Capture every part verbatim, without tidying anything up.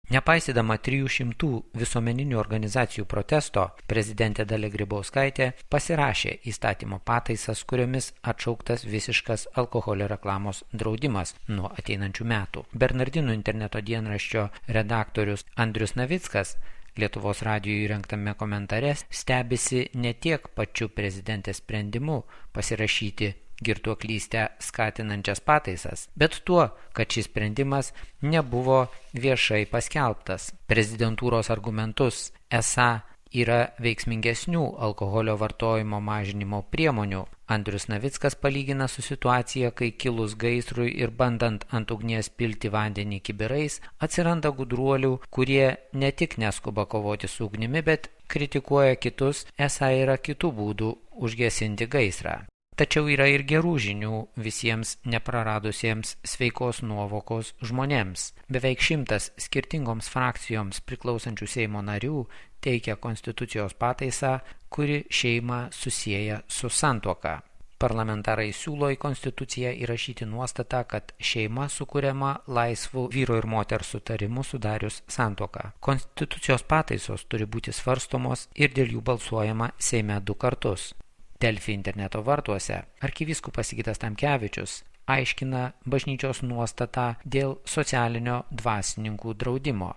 Nepaisydama trijų šimtų visuomeninių organizacijų protesto, prezidentė Dalia Grybauskaitė pasirašė įstatymo pataisas, kuriomis atšauktas visiškas alkoholio reklamos draudimas nuo ateinančių metų. Bernardinų interneto dienraščio redaktorius Andrius Navickas Lietuvos radijui įrengtame komentare stebisi ne tiek pačiu prezidentės sprendimu pasirašyti girtuoklystę skatinančias pataisas, bet tuo, kad šis sprendimas nebuvo viešai paskelbtas. Prezidentūros argumentus esą yra veiksmingesnių alkoholio vartojimo mažinimo priemonių. Andrius Navickas palygina su situacija, kai kilus gaisrui ir bandant ant ugnies pilti vandenį kibirais, atsiranda gudruolių, kurie ne tik neskuba kovoti su ugnimi, bet kritikuoja kitus, esą yra kitų būdų užgesinti gaisrą. Tačiau yra ir gerų žinių visiems nepraradusiems sveikos nuovokos žmonėms. Beveik šimtas skirtingoms frakcijoms priklausančių Seimo narių teikia konstitucijos pataisą, kuri šeimą susieja su santuoka. Parlamentarai siūlo į konstituciją įrašyti nuostatą, kad šeima sukuriama laisvų vyro ir moters sutarimų sudarius santuoką. Konstitucijos pataisos turi būti svarstomos ir dėl jų balsuojama Seime du kartus. Delfi interneto vartuose arkivyskupas Sigitas Tamkevičius aiškina bažnyčios nuostatą dėl socialinio dvasininkų draudimo.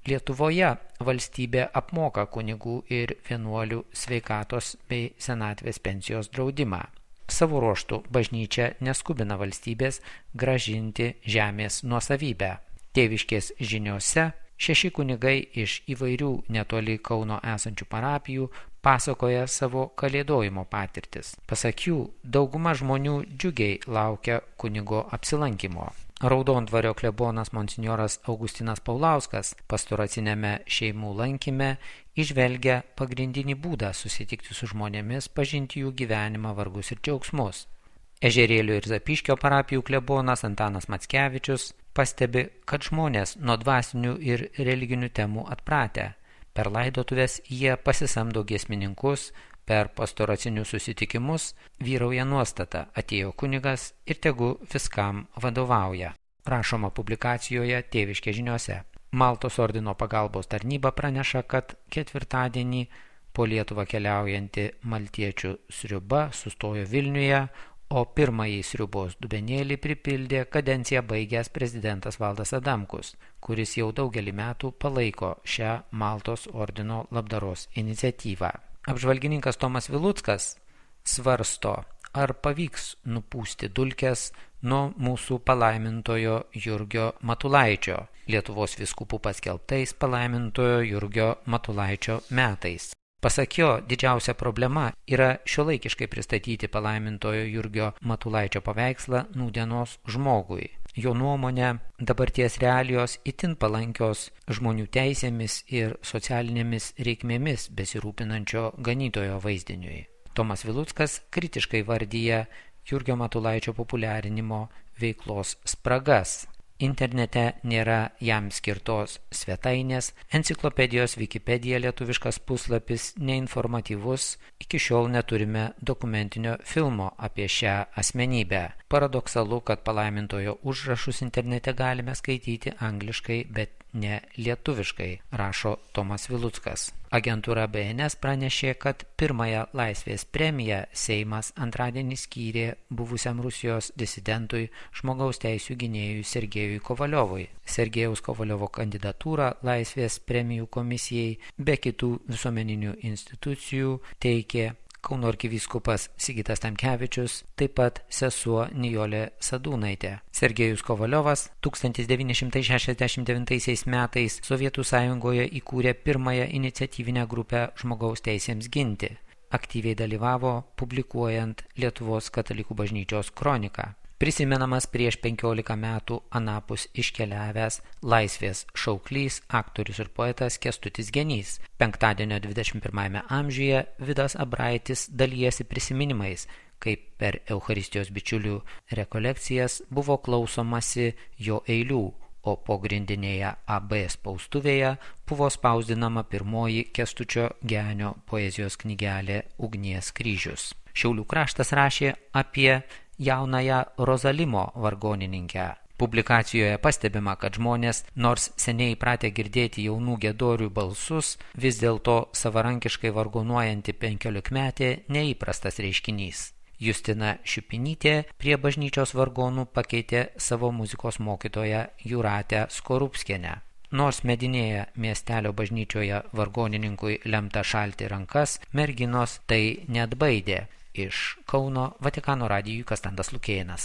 Lietuvoje valstybė apmoka kunigų ir vienuolių sveikatos bei senatvės pensijos draudimą. Savo ruožtu bažnyčia neskubina valstybės grąžinti žemės nuosavybę. Tėviškės žiniose šeši kunigai iš įvairių netoli Kauno esančių parapijų pasakoja savo kalėdojimo patirtis. Pasak jų, dauguma žmonių džiugiai laukia kunigo apsilankimo. Raudondvario klebonas monsinjoras Augustinas Paulauskas pastoracinėme šeimų lankyme įžvelgia pagrindinį būdą susitikti su žmonėmis, pažinti jų gyvenimą, vargus ir džiaugsmus. Ežerėlių ir Zapyškio parapijų klebonas Antanas Mackevičius pastebi, kad žmonės nuo dvasinių ir religinių temų atpratę. Per laidotuvės jie pasisamdo giesmininkus, per pastoracinius susitikimus vyrauja nuostata atėjo kunigas ir tegu viskam vadovauja. Rašoma publikacijoje Tėviškė žiniose. Maltos ordino pagalbos tarnyba praneša, kad ketvirtadienį po Lietuvą keliaujanti maltiečių sriuba sustojo Vilniuje, o pirmąjį sriubos dubenėlį pripildė kadenciją baigęs prezidentas Valdas Adamkus, kuris jau daugelį metų palaiko šią Maltos ordino labdaros iniciatyvą. Apžvalgininkas Tomas Viluckas svarsto, ar pavyks nupūsti dulkes nuo mūsų palaimintojo Jurgio Matulaičio, Lietuvos vyskupų paskelbtais palaimintojo Jurgio Matulaičio metais. Pasak jo, didžiausia problema yra šiuolaikiškai pristatyti palaimintojo Jurgio Matulaičio paveikslą nūdienos žmogui. Jo nuomonė, dabarties realijos itin palankios žmonių teisėmis ir socialinėmis reikmėmis besirūpinančio ganytojo vaizdiniui. Tomas Viluckas kritiškai vardyja Jurgio Matulaičio populiarinimo veiklos spragas. Internete nėra jam skirtos svetainės, enciklopedijos Wikipedija lietuviškas puslapis neinformatyvus, iki šiol neturime dokumentinio filmo apie šią asmenybę. Paradoksalu, kad palaimintojo užrašus internete galime skaityti angliškai, bet ne lietuviškai, rašo Tomas Viluckas. Agentūra B N S pranešė, kad pirmąją laisvės premiją Seimas antradienį skyrė buvusiam Rusijos disidentui žmogaus teisių gynėjui Sergejui Kovaliovui. Sergejaus Kovaliovo kandidatūrą laisvės premijų komisijai be kitų visuomeninių institucijų teikė Kauno arkivyskupas Sigitas Tamkevičius, taip pat sesuo Nijolė Sadūnaitė. Sergejus Kovaliovas tūkstantis devyni šimtai šešiasdešimt devintaisiais metais Sovietų Sąjungoje įkūrė pirmąją iniciatyvinę grupę žmogaus teisėms ginti. Aktyviai dalyvavo publikuojant Lietuvos katalikų bažnyčios kroniką. Prisimenamas prieš penkiolika metų anapus iškeliavęs laisvės šauklys, aktorius ir poetas Kęstutis Genys. Penktadienio dvidešimt pirmajame amžiuje Vidas Abraitis dalijasi prisiminimais, kaip per Eucharistijos bičiulių rekolekcijas buvo klausomasi jo eilių, o pogrindinėje A B spaustuvėje buvo spausdinama pirmoji Kęstučio Genio poezijos knygelė Ugnies kryžius. Šiaulių kraštas rašė apie jaunąją Rozalimo vargonininkę. Publikacijoje pastebima, kad žmonės, nors seniai įpratę girdėti jaunų giedorių balsus, vis dėlto savarankiškai vargonuojanti penkiolikmetė neįprastas reiškinys. Justina Šiupinytė prie bažnyčios vargonų pakeitė savo muzikos mokytoją Jūratę Skorupskienę. Nors medinėje miestelio bažnyčioje vargonininkui lemta šalti rankas, merginos tai neatbaidė. Iš Kauno Vatikano radijui Kastantas Lukėnas.